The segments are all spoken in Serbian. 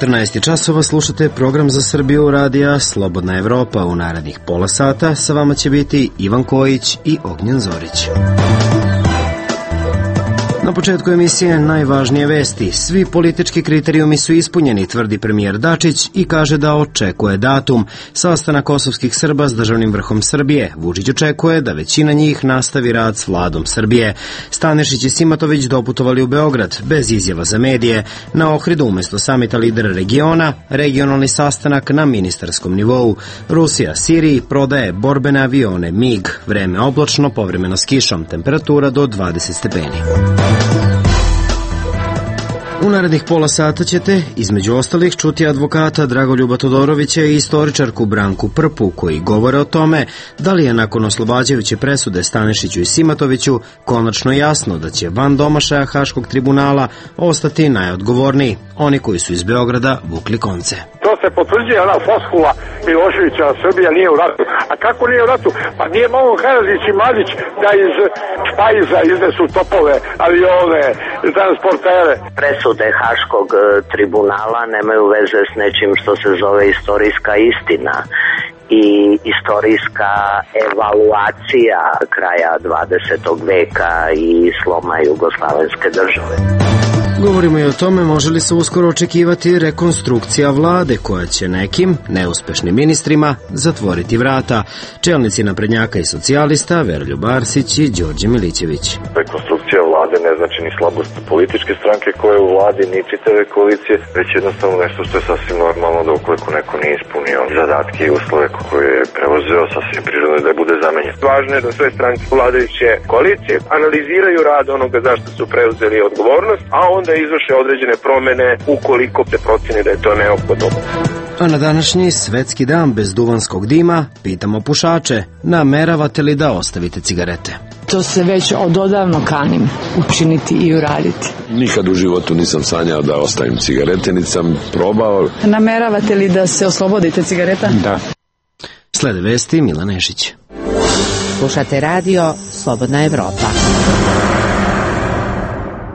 14 časova slušate program za Srbiju radija Slobodna Evropa. U narednih pola sata sa vama će biti Ivan Kojić i Ognjen Zorić. Na početku emisije najvažnije vesti. Svi politički kriterijumi su ispunjeni, tvrdi premijer Dačić i kaže da očekuje datum. Sastanak kosovskih Srba s državnim vrhom Srbije. Vučić očekuje da većina njih nastavi rad s vladom Srbije. Stanešić i Simatović doputovali u Beograd, bez izjava za medije. Na Ohridu umjesto samita lidera regiona, regionalni sastanak na ministarskom nivou. Rusija Siriji prodaje borbene avione MiG. Vreme oblačno, povremeno s kišom, temperatura do 20 stepeni. U narednih pola sata ćete, između ostalih, čuti advokata Dragoljuba Todorovića i istoričarku Branku Prpu, koji govore o tome da li je nakon oslobađajuće presude Stanešiću i Simatoviću konačno jasno da će van domašaja Haškog tribunala ostati najodgovorniji, oni koji su iz Beograda vukli konce. To se potvrđuje ona foskula Miloševića, Srbija nije u ratu. A kako nije u ratu? Pa nije mogo Karadžić i Mladić da iz Špajza iznesu topove, avione, transportere. Presude Haškog tribunala nemaju veze s nečim što se zove istorijska istina i istorijska evaluacija kraja 20. veka i sloma Jugoslavenske države. Govorimo i o tome može li se uskoro očekivati rekonstrukcija vlade koja će nekim neuspešnim ministrima zatvoriti vrata. Čelnici naprednjaka i socijalista Veroljub Arsić i Đorđe Milićević. Rekonstrukcija vlade ne znači ni slabost političke stranke koje u vladi, ni čitave koalicije, već jednostavno nešto što je sasvim normalno da ukoliko neko nije ispunio zadatke i uslove koje je preuzeo, sasvim prirodno da bude zamenjen. Važno je da sve stranke vladajuće koalicije analiziraju rad onoga zašto su preuzeli odgovornost, a onda izvrše određene promene ukoliko se proceni da je to neophodno. A na današnji svetski dan bez duvanskog dima pitamo pušače, nameravate li da ostavite cigarete? To se već ododavno kanim učiniti i uraditi. Nikad u životu nisam sanjao da ostavim cigarete, niti sam probao. Nameravate li da se oslobodite cigareta? Da. Slede vesti Milan Nešić. Slušate radio Slobodna Evropa.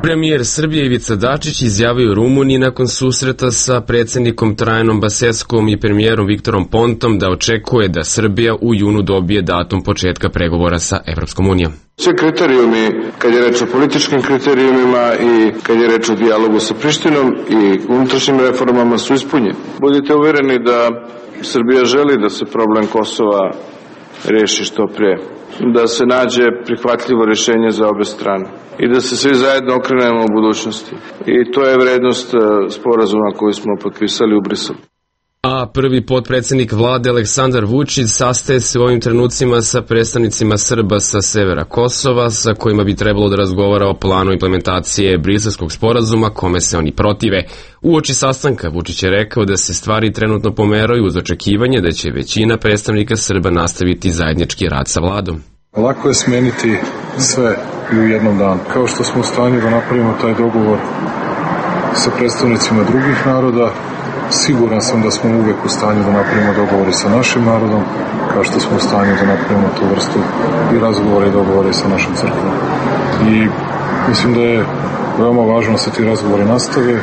Premijer Srbije Ivica Dačić izjavio Rumuniji nakon susreta sa predsjednikom Trajanom Baseskom i premijerom Viktorom Pontom da očekuje da Srbija u junu dobije datum početka pregovora sa Evropskom unijom. Sve kriterijumi, kad je reč o političkim kriterijumima i kad je reč o dijalogu sa Prištinom i unutrašnjim reformama su ispunjeni. Budite uvjereni da Srbija želi da se problem Kosova reši što prije, da se nađe prihvatljivo rješenje za obe strane i da se svi zajedno okrenemo u budućnosti. I to je vrednost sporazuma koji smo potpisali u Briselu. A prvi potpredsjednik vlade Aleksandar Vučić sastaje se u ovim trenucima sa predstavnicima Srba sa severa Kosova, sa kojima bi trebalo da razgovara o planu implementacije Briselskog sporazuma, kome se oni protive. Uoči sastanka Vučić je rekao da se stvari trenutno pomeraju uz očekivanje da će većina predstavnika Srba nastaviti zajednički rad sa vladom. Lako je smeniti sve i u jednom danu. Kao što smo u stanju da napravimo taj dogovor sa predstavnicima drugih naroda, siguran sam da smo uvek u stanju da napravimo dogovore sa našim narodom, kao što smo u stanju da napravimo tu vrstu i razgovore i dogovore sa našom crkvom. I mislim da je veoma važno da se ti razgovori nastave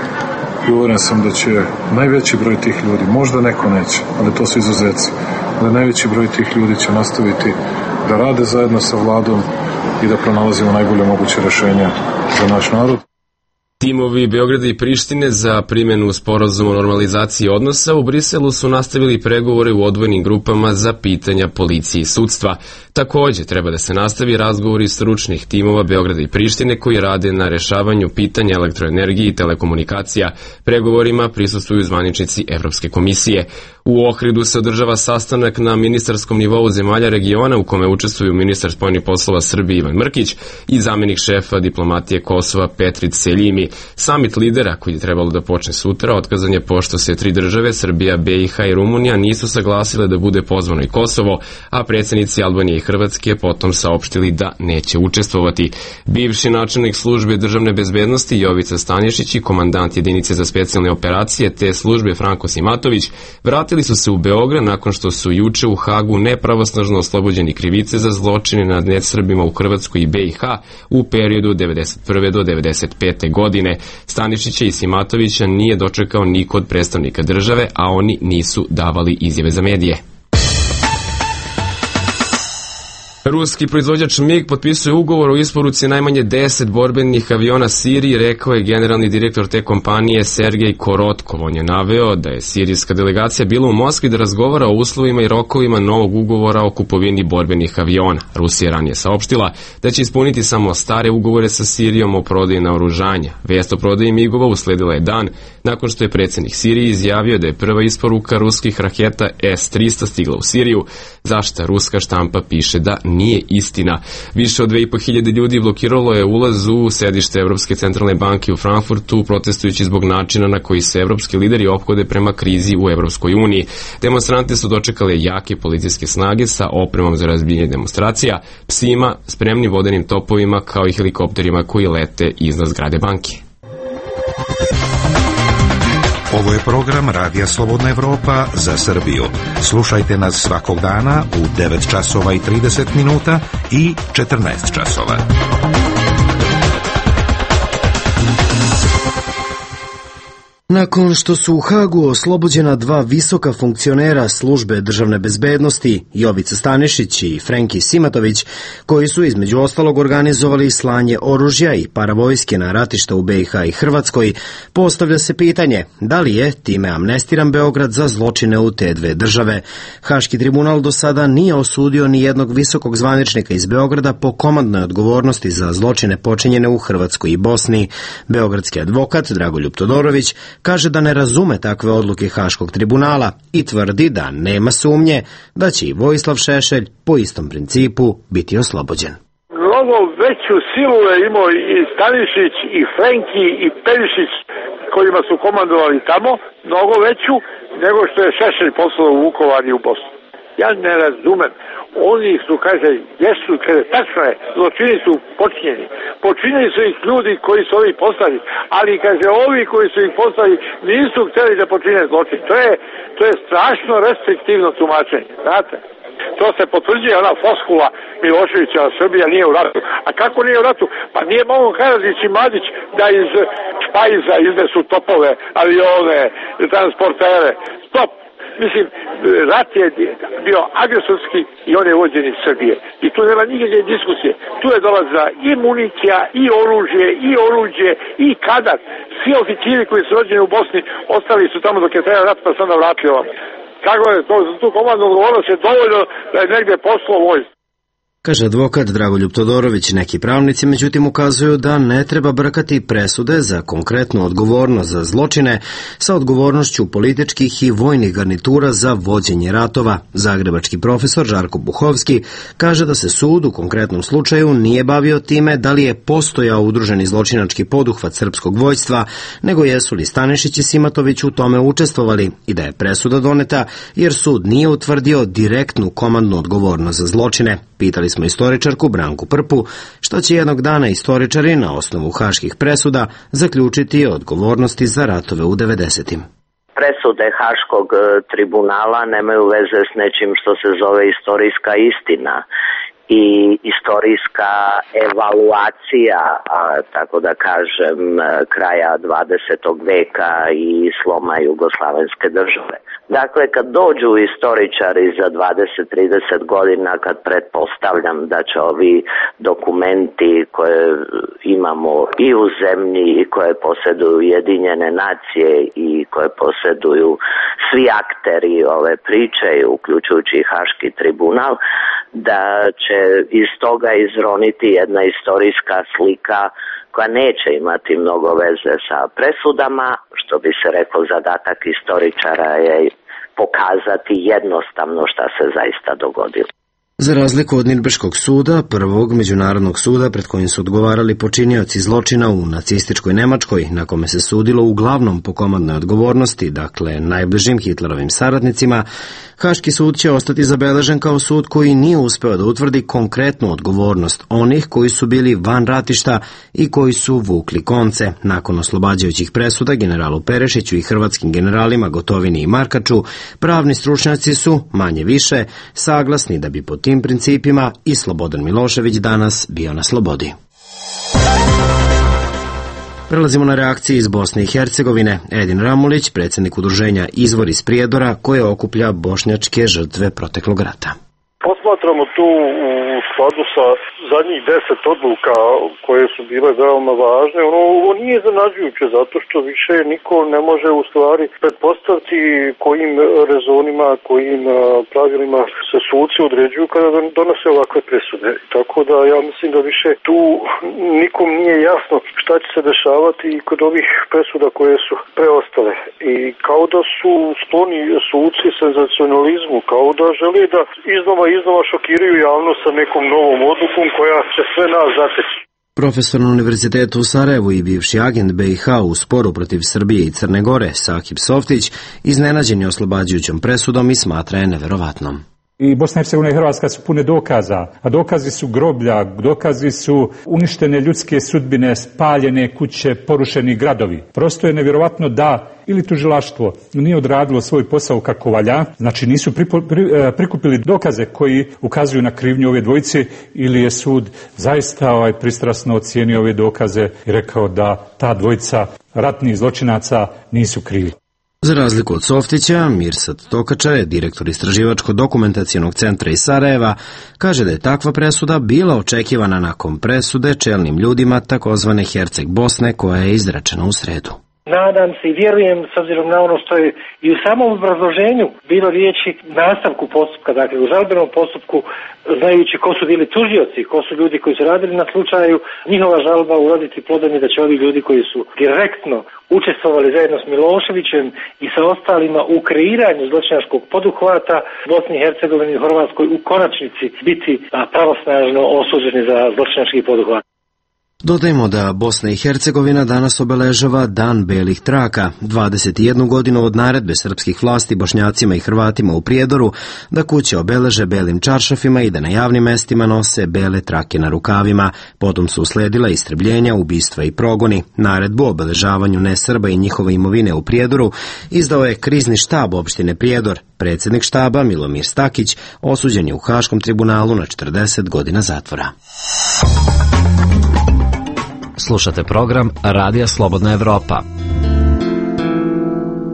i uveren sam da će najveći broj tih ljudi, možda neko neće, ali to su izuzeci, da najveći broj tih ljudi će nastaviti da rade zajedno sa vladom i da pronalazimo najbolje moguće rješenja za naš narod. Timovi Beograda i Prištine za primjenu sporazuma o normalizaciji odnosa u Briselu su nastavili pregovore u odvojenim grupama za pitanja policije i sudstva. Također treba da se nastavi razgovori stručnih timova Beograda i Prištine koji rade na rješavanju pitanja elektroenergije i telekomunikacija. Pregovorima prisustvuju zvaničnici Evropske komisije. U Ohridu se održava sastanak na ministarskom nivou zemalja regiona u kome učestvuju ministar spoljnih poslova Srbije Ivan Mrkić i zamjenik šefa diplomatije Kosova Petrit Seljimi. Samit lidera koji je trebalo da počne sutra otkazan je pošto se tri države, Srbija, BiH i Rumunija, nisu saglasile da bude pozvano i Kosovo, a predsjednici Albanije i Hrvatske potom saopštili da neće učestvovati. Bivši načelnik službe državne bezbednosti Jovica Stanišić i komandant jedinice za specijalne operacije te službe Franko Simatović vratili vratili su se u Beograd nakon što su juče u Hagu nepravosnažno oslobođeni krivice za zločine nad nesrbima u Hrvatskoj i BiH u periodu 1991. do 1995. godine. Stanišića i Simatovića nije dočekao niko od predstavnika države, a oni nisu davali izjave za medije. Ruski proizvođač MiG potpisuje ugovor o isporuci najmanje 10 borbenih aviona Siriji, rekao je generalni direktor te kompanije Sergej Korotkov. On je naveo da je sirijska delegacija bila u Moskvi da razgovara o uslovima i rokovima novog ugovora o kupovini borbenih aviona. Rusija ranije saopštila da će ispuniti samo stare ugovore sa Sirijom o prodaji naoružanja. Vest o prodaji MiG-ova usledila je dan nakon što je predsjednik Sirije izjavio da je prva isporuka ruskih raketa S-300 stigla u Siriju, za šta ruska štampa piše da nije istina. Više od 2500 ljudi blokiralo je ulaz u sedište Evropske centralne banke u Frankfurtu, protestujući zbog načina na koji se evropski lideri ophode prema krizi u Evropskoj uniji. Demonstrante su dočekale jake policijske snage sa opremom za razbijanje demonstracija, psima, spremnim vodenim topovima kao i helikopterima koji lete iznad zgrade banke. Ovo je program Radija Slobodna Evropa za Srbiju. Slušajte nas svakog dana u 9 časova i 30 minuta i 14 časova. Nakon što su u Hagu oslobođena dva visoka funkcionera službe državne bezbednosti, Jovica Stanišić i Frenki Simatović, koji su između ostalog organizovali slanje oružja i paravojske na ratišta u BiH i Hrvatskoj, postavlja se pitanje da li je time amnestiran Beograd za zločine u te dve države. Haški tribunal do sada nije osudio ni jednog visokog zvaničnika iz Beograda po komandnoj odgovornosti za zločine počinjene u Hrvatskoj i Bosni. Beogradski advokat Dragoljub Todorović kaže da ne razume takve odluke Haškog tribunala i tvrdi da nema sumnje da će i Vojislav Šešelj po istom principu biti oslobođen. Mnogo veću silu je imao i Stanišić, i Frenki, i Perišić, kojima su komandovali tamo, mnogo veću nego što je Šešelj poslao u Vukovar i u Bosnu. Ja ne razumem. Oni su, kaže, jesu, kaže, tačno je, zločini su počinjeni. Počinili su ih ljudi koji su ovi poslali, ali, kaže, ovi koji su ih poslali nisu htjeli da počine zločin. To je strašno restriktivno tumačenje, znate. To se potvrđuje ona floskula Miloševića, Srbija nije u ratu. A kako nije u ratu? Pa nije mogo Karadžić i Mladić da iz špajza iznesu topove, avione, transportere. Stop! Mislim, rat je bio agresorski i on je vođen iz Srbije. I tu nema nikakve diskusije. Tu je dolazila i municija, i oruđe, i kadar. Svi oficiri koji su rođeni u Bosni ostali su tamo dok je trajao rat, pa se onda vratili ovdje. Kako je to, za tu komandnu odgovornost je dovoljno da je negdje poslao vojsku. Kaže advokat Dragoljub Todorović. Neki pravnici međutim ukazuju da ne treba brkati presude za konkretnu odgovornost za zločine sa odgovornošću političkih i vojnih garnitura za vođenje ratova. Zagrebački profesor Žarko Buhovski kaže da se sud u konkretnom slučaju nije bavio time da li je postojao udruženi zločinački poduhvat srpskog vojstva, nego jesu li Stanišić i Simatović u tome učestvovali i da je presuda doneta jer sud nije utvrdio direktnu komandnu odgovornost za zločine. Pitali smo istoričarku Branku Prpu što će jednog dana istoričari na osnovu haških presuda zaključiti o odgovornosti za ratove u 90-im. Presude Haškog tribunala nemaju veze s nečim što se zove istorijska istina i istorijska evaluacija, tako da kažem, kraja 20. veka i sloma Jugoslavenske države. Dakle, kad dođu istoričari za 20-30 godina, kad pretpostavljam da će ovi dokumenti koje imamo i u zemlji i koje posjeduju Ujedinjene nacije i koje posjeduju svi akteri ove priče, uključujući i Haški tribunal, da će iz toga izroniti jedna istorijska slika koja neće imati mnogo veze sa presudama, što bi se rekao zadatak istoričara je pokazati jednostavno šta se zaista dogodilo. Za razliku od Nirnberškog suda, prvog međunarodnog suda pred kojim su odgovarali počinioci zločina u nacističkoj Nemačkoj, na kome se sudilo uglavnom po komandnoj odgovornosti, dakle najbližim Hitlerovim saradnicima, Haški sud će ostati zabeležen kao sud koji nije uspeo da utvrdi konkretnu odgovornost onih koji su bili van ratišta i koji su vukli konce. Nakon oslobađajućih presuda generalu Perešiću i hrvatskim generalima Gotovini i Markaču, pravni stručnjaci su, manje više, saglasni da bi po tim principima i Slobodan Milošević danas bio na slobodi. Prelazimo na reakcije iz Bosne i Hercegovine. Edin Ramulić, predsjednik udruženja Izvor iz Prijedora, koje okuplja bošnjačke žrtve proteklog rata. Posmatramo tu u skladu sa zadnjih 10 odluka koje su bile veoma važne. Ovo nije iznenađujuće zato što više niko ne može u stvari pretpostaviti kojim rezonima, kojim pravilima se suci određuju kada donose ovakve presude. Tako da ja mislim da više tu nikom nije jasno šta će se dešavati kod ovih presuda koje su preostale. I kao da su skloni suci senzacionalizmu, kao da žele da iznova šokiraju javnost sa nekom novom odlukom koja će sve nas zateći. Profesor na Univerzitetu u Sarajevu i bivši agent BiH u sporu protiv Srbije i Crne Gore, Sakib Softić, iznenađen je oslobađajućom presudom i smatra je neverovatnom. I Bosna i Hercegovina i Hrvatska su pune dokaza, a dokazi su groblja, dokazi su uništene ljudske sudbine, spaljene kuće, porušeni gradovi. Prosto je nevjerovatno da ili tužilaštvo nije odradilo svoj posao kako valja, znači nisu prikupili dokaze koji ukazuju na krivnju ove dvojice, ili je sud zaista pristrasno ocijenio ove dokaze i rekao da ta dvojica ratnih zločinaca nisu krivi. Za razliku od Softića, Mirsad Tokača je direktor Istraživačko-dokumentacionog centra iz Sarajeva, kaže da je takva presuda bila očekivana nakon presude čelnim ljudima takozvane Herceg Bosne koja je izrečena u sredu. Nadam se i vjerujem, s obzirom na ono što je i u samom obrazloženju bilo riječi nastavku postupka, dakle u žalbenom postupku, znajući ko su bili tužioci, ko su ljudi koji su radili na slučaju, njihova žalba uroditi plodom je da će ovi ljudi koji su direktno učestvovali zajedno s Miloševićem i sa ostalima u kreiranju zločinačkog poduhvata Bosni i Hercegovini i Hrvatskoj u konačnici biti pravosnažno osuđeni za zločinački poduhvat. Dodajmo da Bosna i Hercegovina danas obeležava Dan belih traka, 21 godinu od naredbe srpskih vlasti Bošnjacima i Hrvatima u Prijedoru da kuće obeleže belim čaršafima i da na javnim mestima nose bele trake na rukavima. Potom su usledila istrebljenja, ubistva i progoni. Naredbu o obeležavanju nesrba i njihove imovine u Prijedoru izdao je krizni štab opštine Prijedor. Predsjednik štaba Milomir Stakić osuđen je u Haškom tribunalu na 40 godina zatvora. Slušate program Radija Slobodna Evropa.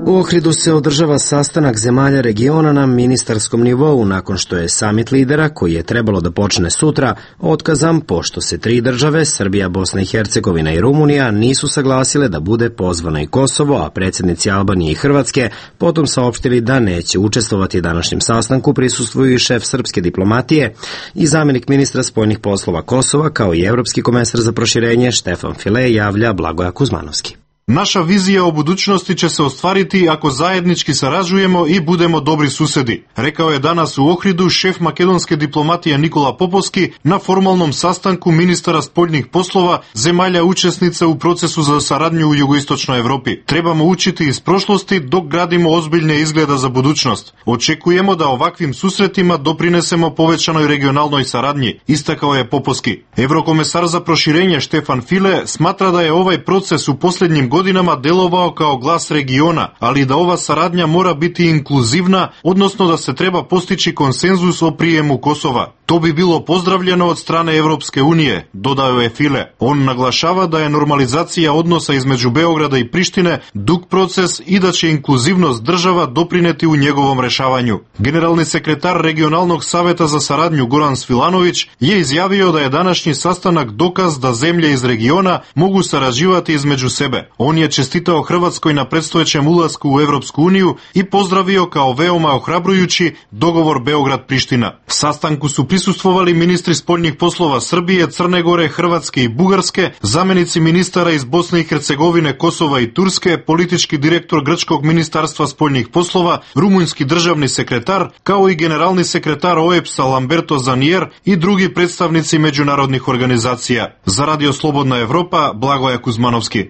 U Ohridu se održava sastanak zemalja regiona na ministarskom nivou nakon što je samit lidera, koji je trebalo da počne sutra, otkazan pošto se 3 države, Srbija, Bosna i Hercegovina i Rumunija, nisu saglasile da bude pozvano i Kosovo, a predsjednici Albanije i Hrvatske potom saopštili da neće učestvovati današnjem sastanku, prisustvuju i šef srpske diplomatije i zamjenik ministra spoljnih poslova Kosova, kao i evropski komesar za proširenje Štefan File, javlja Blagoja Kuzmanovski. Naša vizija o budućnosti će se ostvariti ako zajednički sarađujemo i budemo dobri susedi, rekao je danas u Ohridu šef makedonske diplomatije Nikola Popovski na formalnom sastanku ministara spoljnih poslova zemalja učesnica u procesu za saradnju u jugoistočnoj Evropi. Trebamo učiti iz prošlosti dok gradimo ozbiljne izgleda za budućnost. Očekujemo da ovakvim susretima doprinesemo povećanoj regionalnoj saradnji, istakao je Popovski. Evrokomesar za proširenje Štefan File smatra da je ovaj proces u posljednjim godinama delovao kao glas regiona, ali da ova saradnja mora biti inkluzivna, odnosno da se treba postići konsenzus o prijemu Kosova. To bi bilo pozdravljeno od strane Evropske unije, dodao je File. On naglašava da je normalizacija odnosa između Beograda i Prištine dug proces i da će inkluzivnost država doprineti u njegovom rešavanju. Generalni sekretar Regionalnog saveta za saradnju Goran Svilanović je izjavio da je današnji sastanak dokaz da zemlje iz regiona mogu sarađivati između sebe. On je čestitao Hrvatskoj na predstojećem ulasku u Evropsku uniju i pozdravio kao veoma ohrabrujući dogovor Beograd-Priština. Sastanku su prisustvovali ministri spoljnih poslova Srbije, Crne Gore, Hrvatske i Bugarske, zamenici ministara iz Bosne i Hercegovine, Kosova i Turske, politički direktor Grčkog ministarstva spoljnih poslova, rumunjski državni sekretar, kao i generalni sekretar OEBS-a Lamberto Zanier i drugi predstavnici međunarodnih organizacija. Za Radio Slobodna Evropa, Blagoja Kuzmanovski.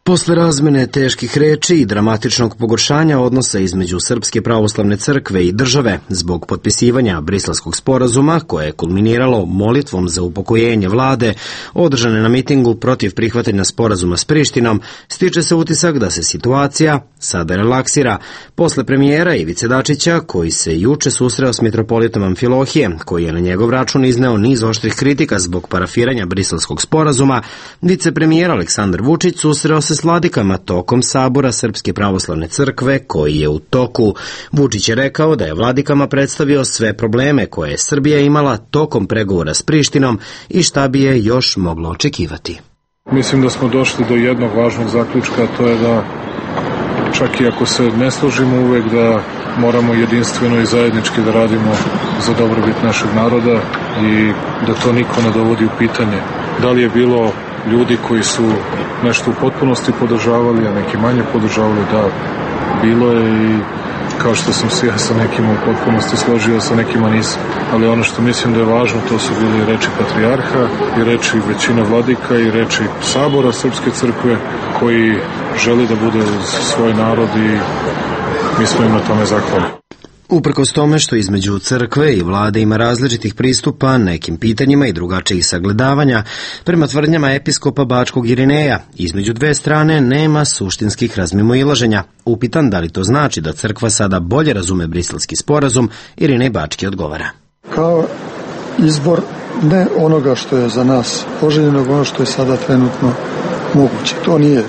Posle razmene teških reči i dramatičnog pogoršanja odnosa između Srpske pravoslavne crkve i države zbog potpisivanja Briselskog sporazuma, koje je kulminiralo molitvom za upokojenje vlade, održane na mitingu protiv prihvatanja sporazuma s Prištinom, stiče se utisak da se situacija sada relaksira. Posle premijera Ivice Dačića, koji se juče susreo s mitropolitom Amfilohije, koji je na njegov račun izneo niz oštrih kritika zbog parafiranja Briselskog sporazuma, vicepremijer Aleksandar Vučić susreo se s vladikama tokom sabora Srpske pravoslavne crkve koji je u toku. Vučić je rekao da je vladikama predstavio sve probleme koje je Srbija imala tokom pregovora s Prištinom i šta bi je još moglo očekivati. Mislim da smo došli do jednog važnog zaključka, a to je da čak i ako se ne složimo uvek da moramo jedinstveno i zajednički da radimo za dobrobit našeg naroda i da to niko ne dovodi u pitanje. Da li je bilo ljudi koji su nešto u potpunosti podržavali, a neki manje podržavali, da, bilo je i kao što sam se ja sa nekima u potpunosti složio, sa nekima nisam. Ali ono što mislim da je važno, to su bili reči patrijarha i reči većine vladika i reči sabora Srpske crkve koji želi da bude uz svoj narod i mi smo im na tome zahvalni. Uprkos tome što između crkve i vlade ima različitih pristupa nekim pitanjima i drugačijih sagledavanja, prema tvrdnjama episkopa Bačkog Irineja, između dve strane nema suštinskih razmimoilaženja. Upitan da li to znači da crkva sada bolje razume Briselski sporazum, Irinej Bački odgovara. Kao izbor ne onoga što je za nas poželjeno, ono što je sada trenutno moguće. To nije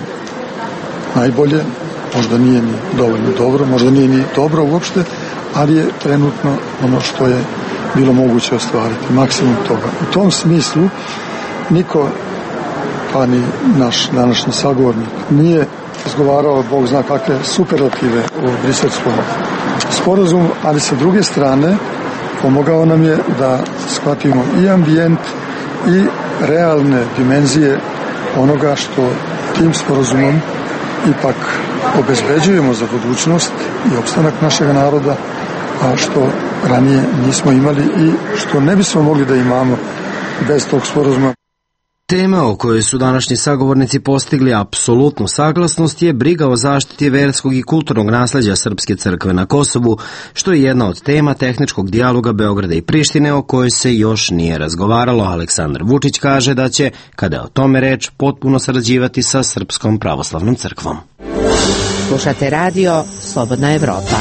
najbolje, možda nije ni dovoljno dobro, možda nije ni dobro uopšte, ali je trenutno ono što je bilo moguće ostvariti, maksimum toga. U tom smislu niko, pa ni naš današnji sagovornik, nije izgovarao, Bog zna kakve superlative u Briselskom sporazumu, ali sa druge strane pomogao nam je da shvatimo i ambijent i realne dimenzije onoga što tim sporazumom ipak obezbeđujemo za budućnost i opstanak našeg naroda, a što ranije nismo imali i što ne bismo mogli da imamo bez tog sporazuma. Tema o kojoj su današnji sagovornici postigli apsolutnu saglasnost je briga o zaštiti verskog i kulturnog nasleđa Srpske crkve na Kosovu, što je jedna od tema tehničkog dijaloga Beograda i Prištine o kojoj se još nije razgovaralo. Aleksandar Vučić kaže da će, kada je o tome reč, potpuno sarađivati sa Srpskom pravoslavnom crkvom. Slušate radio Slobodna Evropa.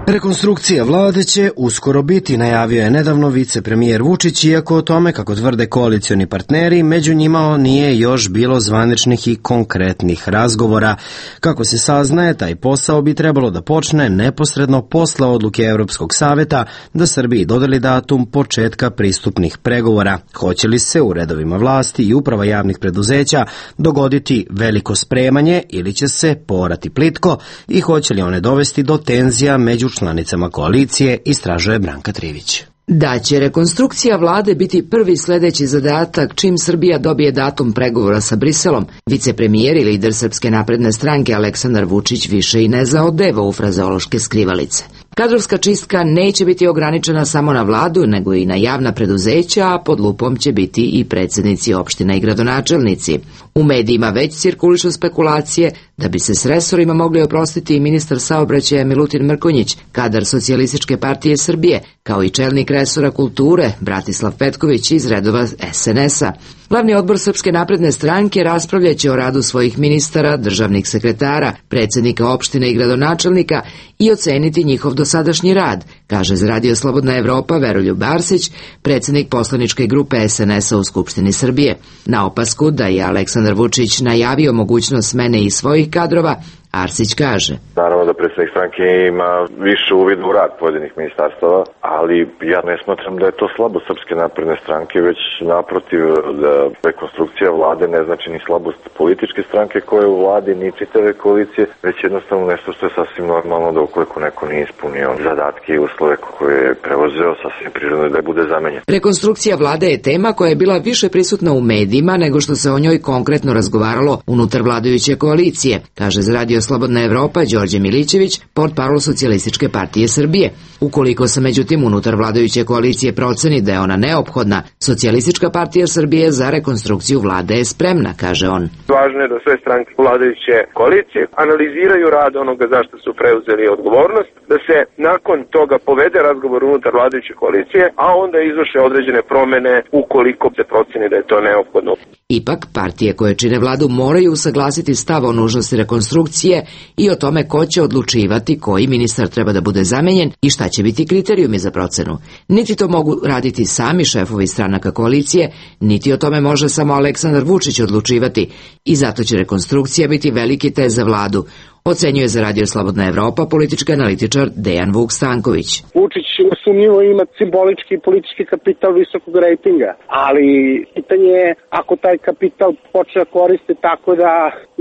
Rekonstrukcija vlade će uskoro biti, najavio je nedavno vicepremijer Vučić, iako o tome, kako tvrde koalicioni partneri, među njima nije još bilo zvaničnih i konkretnih razgovora. Kako se saznaje, taj posao bi trebalo da počne neposredno posle odluke Evropskog saveta da Srbiji dodeli datum početka pristupnih pregovora. Hoće li se u redovima vlasti i uprava javnih preduzeća dogoditi veliko spremanje ili će se poorati plitko i hoće li one dovesti do tenzija među članicama koalicije, istražuje Branka Trivić. Da će rekonstrukcija vlade biti prvi sledeći zadatak čim Srbija dobije datum pregovora sa Briselom, vicepremijer i lider Srpske napredne stranke Aleksandar Vučić više i ne zaodeva u frazeološke skrivalice. Kadrovska čistka neće biti ograničena samo na vladu, nego i na javna preduzeća, a pod lupom će biti i predsjednici opština i gradonačelnici. U medijima već cirkulišu spekulacije da bi se s resorima mogli oprostiti i ministar saobraćaja Milutin Mrkonjić, kadar Socijalističke partije Srbije, kao i čelnik resora kulture Bratislav Petković iz redova SNS-a. Glavni odbor Srpske napredne stranke raspravljaće o radu svojih ministara, državnih sekretara, predsjednika opštine i gradonačelnika i oceniti njihov dosadašnji rad, kaže za Radio Slobodna Evropa Veroljub Arsić, predsjednik poslaničke grupe SNS-a u Skupštini Srbije. Na opasku da je Aleksandar Vučić najavio mogućnost smene i svojih kadrova, Arsić kaže. Naravno da predsjednik stranke ima više uvid u rad pojedinih ministarstava, ali ja ne smatram da je to slabo Srpske napredne stranke, već naprotiv, da rekonstrukcija vlade ne znači ni slabost političke stranke koje u vladi, ni čitave koalicije, već jednostavno nešto što je sasvim normalno da ukoliko neko nije ispunio zadatke i uslove koje je preuzeo, sasvim prirodno da bude zamenjen. Rekonstrukcija vlade je tema koja je bila više prisutna u medijima nego što se o njoj konkretno razgovaralo unutar vladajuće koalicije, kaže za Radio Slobodna Evropa Đorđe Milićević, portparol Socijalističke partije Srbije. Ukoliko se međutim unutar vladajuće koalicije proceni da je ona neophodna, Socijalistička partija Srbije za rekonstrukciju vlade je spremna, kaže on. Važno je da sve stranke vladajuće koalicije analiziraju rad onoga zašto su preuzeli odgovornost, da se nakon toga povede razgovor unutar vladajuće koalicije, a onda izvrše određene promene ukoliko se proceni da je to neophodno. Ipak, partije koje čine vladu moraju usaglasiti stav o nužnosti rekonstrukcije i o tome ko će odlučivati koji ministar treba da bude zamenjen i šta će biti kriterijumi za procenu. Niti to mogu raditi sami šefovi stranaka koalicije, niti o tome može samo Aleksandar Vučić odlučivati i zato će rekonstrukcija biti veliki test za vladu, ocenjuje za Radio Slobodna Evropa politički analitičar Dejan Vuk Stanković. Vučić nesumnjivo ima simbolički i politički kapital visokog rejtinga, ali pitanje je ako taj kapital počne koriste tako da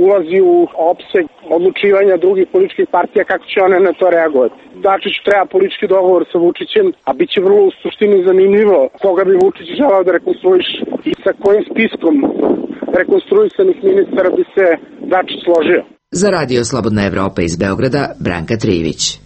ulazi u opseg odlučivanja drugih političkih partija, kako će one na to reagovati. Dačić treba politički dogovor sa Vučićem, a bit će vrlo u suštini zanimljivo koga bi Vučić želao da rekonstruiše i sa kojim spiskom rekonstruisanih ministara bi se Dačić složio. Za Radio Slobodna Evropa iz Beograda, Branka Trijević.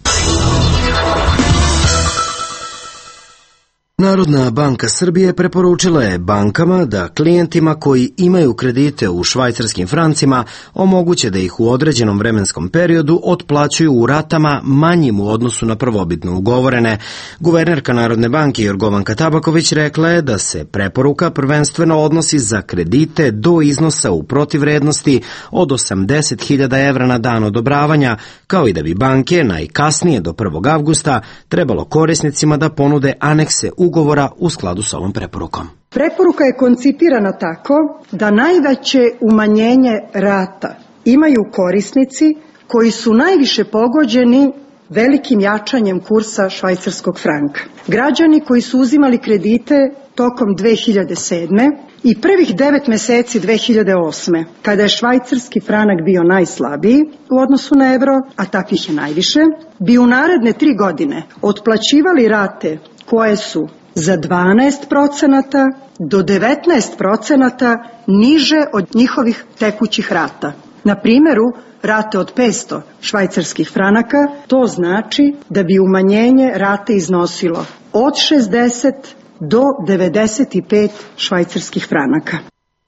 Narodna banka Srbije preporučila je bankama da klijentima koji imaju kredite u švajcarskim francima omoguće da ih u određenom vremenskom periodu otplaćuju u ratama manjim u odnosu na prvobitno ugovorene. Guvernerka Narodne banke Jorgovanka Tabaković rekla je da se preporuka prvenstveno odnosi za kredite do iznosa u protivvrednosti od 80.000 evra na dan odobravanja, kao i da bi banke najkasnije do 1. avgusta trebalo korisnicima da ponude anekse ugovora u skladu s ovom preporukom. Preporuka je koncipirana tako da najveće umanjenje rata imaju korisnici koji su najviše pogođeni velikim jačanjem kursa švajcarskog franka. Građani koji su uzimali kredite tokom 2007. i prvih 9 meseci 2008. kada je švajcarski franak bio najslabiji u odnosu na evro, a takvih je najviše, bi u naredne 3 godine otplaćivali rate koje su za 12% do 19% niže od njihovih tekućih rata. Na primjeru rate od 500 švajcarskih franaka, to znači da bi umanjenje rate iznosilo od 60 do 95 švajcarskih franaka.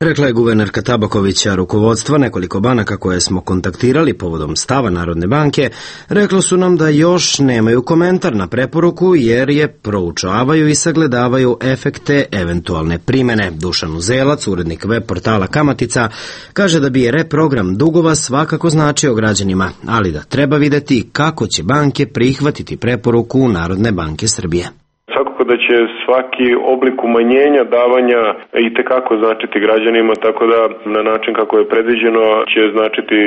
Rekla je guvernerka Tabakovića. Rukovodstva nekoliko banaka koje smo kontaktirali povodom stava Narodne banke reklo su nam da još nemaju komentar na preporuku jer je proučavaju i sagledavaju efekte eventualne primene. Dušan Uzelac, urednik web portala Kamatica, kaže da bi reprogram dugova svakako značio građanima, ali da treba videti kako će banke prihvatiti preporuku Narodne banke Srbije. Svakako da će svaki oblik umanjenja davanja i tekako značiti građanima, tako da na način kako je predviđeno će značiti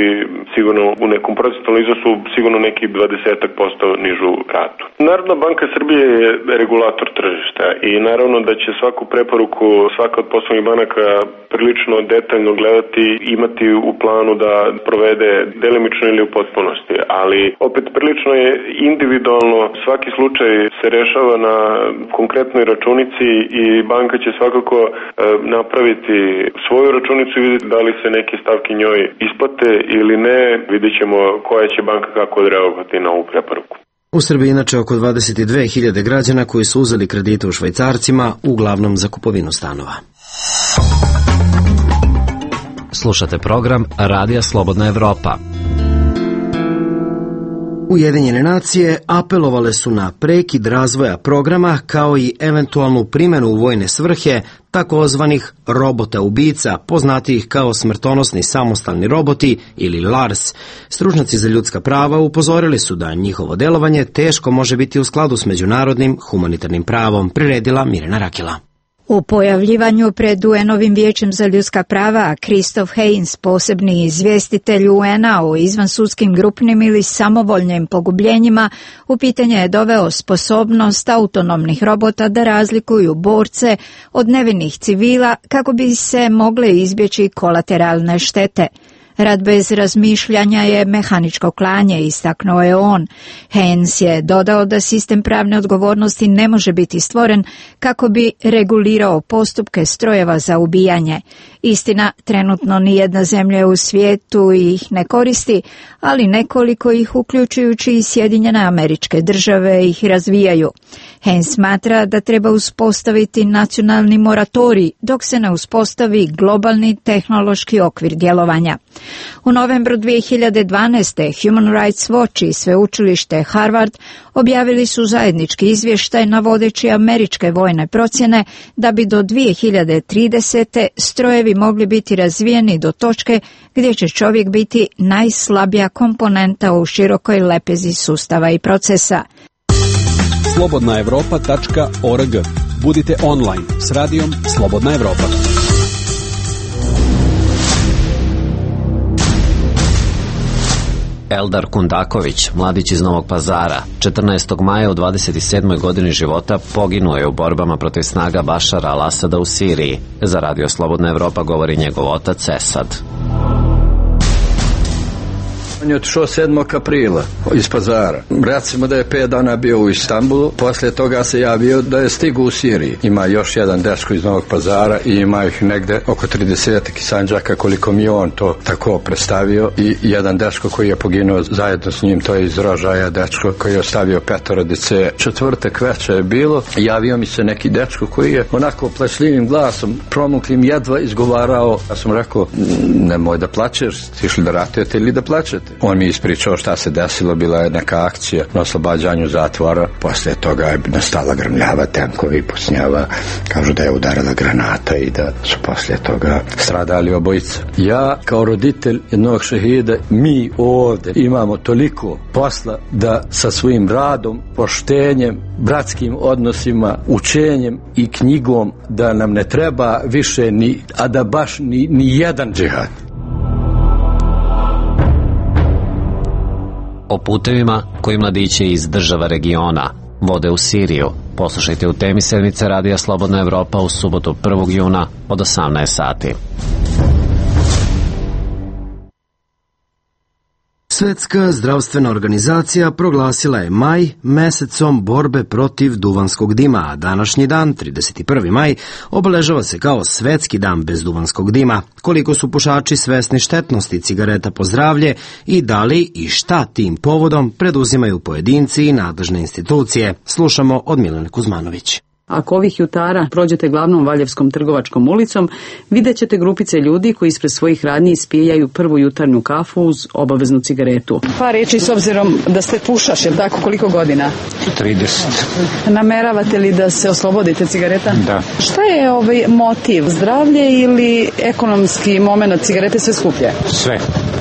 sigurno u nekom procentualnom iznosu sigurno neki 20% nižu ratu. Narodna banka Srbije je regulator tržišta i naravno da će svaku preporuku svaka od poslovnih banaka prilično detaljno gledati, imati u planu da provede delimično ili u potpunosti, ali opet prilično je individualno, svaki slučaj se rešava na konkretnoj računici i banka će svakako napraviti svoju računicu i vidjeti da li se neke stavke njoj isplate ili ne, vidjet ćemo koja će banka kako odreagovati na ovu preporuku. U Srbiji inače oko 22.000 građana koji su uzeli kredite u švajcarcima, uglavnom za kupovinu stanova. Slušate program Radija Slobodna Evropa. Ujedinjene nacije apelovale su na prekid razvoja programa kao i eventualnu primjenu u vojne svrhe takozvanih robota ubica, poznatijih kao smrtonosni samostalni roboti ili LARS. Stručnjaci za ljudska prava upozorili su da njihovo delovanje teško može biti u skladu s međunarodnim humanitarnim pravom, priredila Mirjana Rakela. U pojavljivanju pred UN-ovim vijećem za ljudska prava, Christoph Heyns, posebni izvjestitelj UN-a o izvansudskim grupnim ili samovoljnim pogubljenjima, u pitanje je doveo sposobnost autonomnih robota da razlikuju borce od nevinih civila kako bi se mogle izbjeći kolateralne štete. Rad bez razmišljanja je mehaničko klanje, istaknuo je on. Heyns je dodao da sistem pravne odgovornosti ne može biti stvoren kako bi regulirao postupke strojeva za ubijanje. Istina, trenutno nijedna zemlja u svijetu ih ne koristi, ali nekoliko ih, uključujući i Sjedinjene Američke Države, ih razvijaju. Haynes smatra da treba uspostaviti nacionalni moratorij dok se ne uspostavi globalni tehnološki okvir djelovanja. U novembru 2012. Human Rights Watch i sveučilište Harvard objavili su zajednički izvještaj navodeći američke vojne procjene da bi do 2030. strojevi mogli biti razvijeni do točke gdje će čovjek biti najslabija komponenta u širokoj lepezi sustava i procesa. slobodnaevropa.org. Budite online s radijom Slobodna Evropa. Eldar Kundaković, mladić iz Novog Pazara, 14. maja u 27. godini života poginuo je u borbama protiv snaga Bašara al-Asada u Siriji. Za Radio Slobodna Evropa govori njegov otac Esad. On je otišao 7. aprila iz Pazara. Recimo da je 5 dana bio u Istanbulu, poslije toga se javio da je stigao u Siriji. Ima još jedan dečko iz Novog Pazara i ima ih negde oko 30 Sandžaka, koliko mi on to tako predstavio, i jedan dečko koji je poginuo zajedno s njim, to je iz Rožaja dečko koji je ostavio 5 djece. Četvrtak večer je bilo, javio mi se neki dečko koji je onako plašljivim glasom, promuklim, jedva izgovarao. Ja sam rekao, nemoj da plačeš, ti išli da ratujete ili da plačete? On mi ispričao šta se desilo, bila je neka akcija na oslobađanju zatvora, poslije toga je nastala grmljava, tenkovi, pucnjava, kažu da je udarila granata i da su poslije toga stradali obojica. Ja kao roditelj jednog šehida, mi ovdje imamo toliko posla da sa svojim radom, poštenjem, bratskim odnosima, učenjem i knjigom, da nam ne treba više a da baš ni jedan džihad. O putevima koji mladiće iz država regiona vode u Siriju poslušajte u temi sedmice Radija Slobodna Evropa u subotu 1. juna od 18 sati. Svetska zdravstvena organizacija proglasila je maj mesecom borbe protiv duvanskog dima, a današnji dan, 31. maj, obeležava se kao svetski dan bez duvanskog dima. Koliko su pušači svesni štetnosti cigareta po zdravlje i da li i šta tim povodom preduzimaju pojedinci i nadležne institucije, slušamo od Milene Kuzmanović. Ako ovih jutara prođete glavnom Valjevskom trgovačkom ulicom, vidjet ćete grupice ljudi koji ispred svojih radnji ispijaju prvu jutarnju kafu uz obaveznu cigaretu. Pa reći, s obzirom da ste pušaš, je tako, koliko godina? 30. Nameravate li da se oslobodite cigareta? Da. Šta je motiv? Zdravlje ili ekonomski moment cigarete sve skuplje? Sve.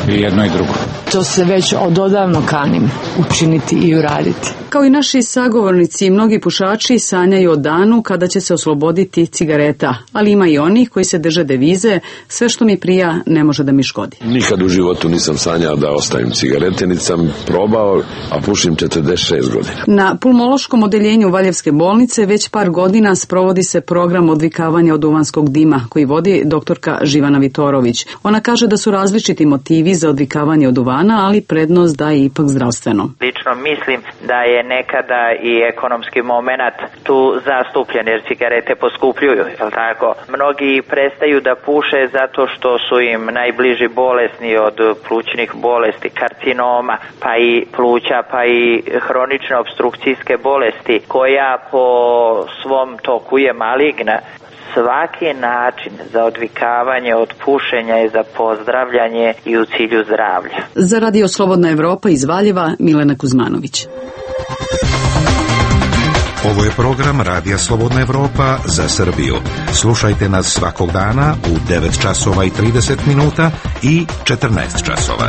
I jedno i drugo. To se već ododavno kanim učiniti i uraditi. Kao i naši sagovornici, mnogi pušači sanjaju o danu kada će se osloboditi cigareta, ali ima i oni koji se drže devize, sve što mi prija ne može da mi škodi. Nikad u životu nisam sanjao da ostavim cigarete, niti sam probao, a pušim 46 godina. Na pulmološkom odeljenju Valjevske bolnice već par godina sprovodi se program odvikavanja od duvanskog dima koji vodi doktorka Živana Vitorović. Ona kaže da su različiti motivi za odvikavanje od duvana, ali prednost daje ipak zdravstveno. Lično mislim da je nekada i ekonomski moment tu zastupljen, jer cigarete poskupljuju, je li tako? Mnogi prestaju da puše zato što su im najbliži bolesni od plućnih bolesti, karcinoma, pa i pluća, pa i hronične opstrukcijske bolesti, koja po svom toku je maligna. Svaki način za odvikavanje od pušenja je za pozdravljanje i u cilju zdravlja. Za Radio Slobodna Evropa iz Valjeva, Milena Kuzmanović. Ovo je program Radija Slobodna Evropa za Srbiju. Slušajte nas svakog dana u 9 časova i 30 minuta i 14 časova.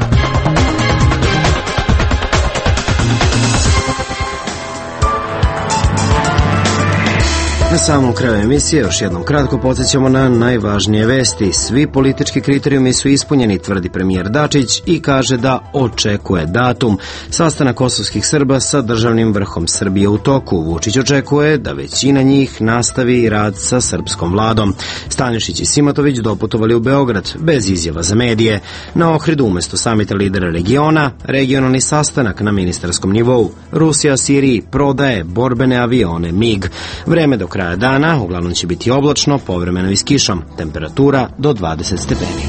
Na samom kraju emisije još jednom kratko podsjećamo na najvažnije vesti. Svi politički kriterijumi su ispunjeni, tvrdi premijer Dačić i kaže da očekuje datum. Sastanak kosovskih Srba sa državnim vrhom Srbije u toku. Vučić očekuje da većina njih nastavi rad sa srpskom vladom. Stanišić i Simatović doputovali u Beograd bez izjava za medije. Na Ohridu umjesto samita lidera regiona, regionalni sastanak na ministarskom nivou. Rusija Siriji prodaje borbene avione MiG. Vreme do kraja kraja dana uglavnom će biti oblačno, povremeno i s kišom. Temperatura do 20 stepeni.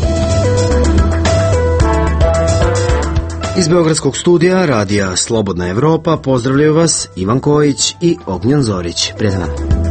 Iz Beogradskog studija radija Slobodna Evropa pozdravljaju vas Ivan Kojić i Ognjen Zorić. Prijatno.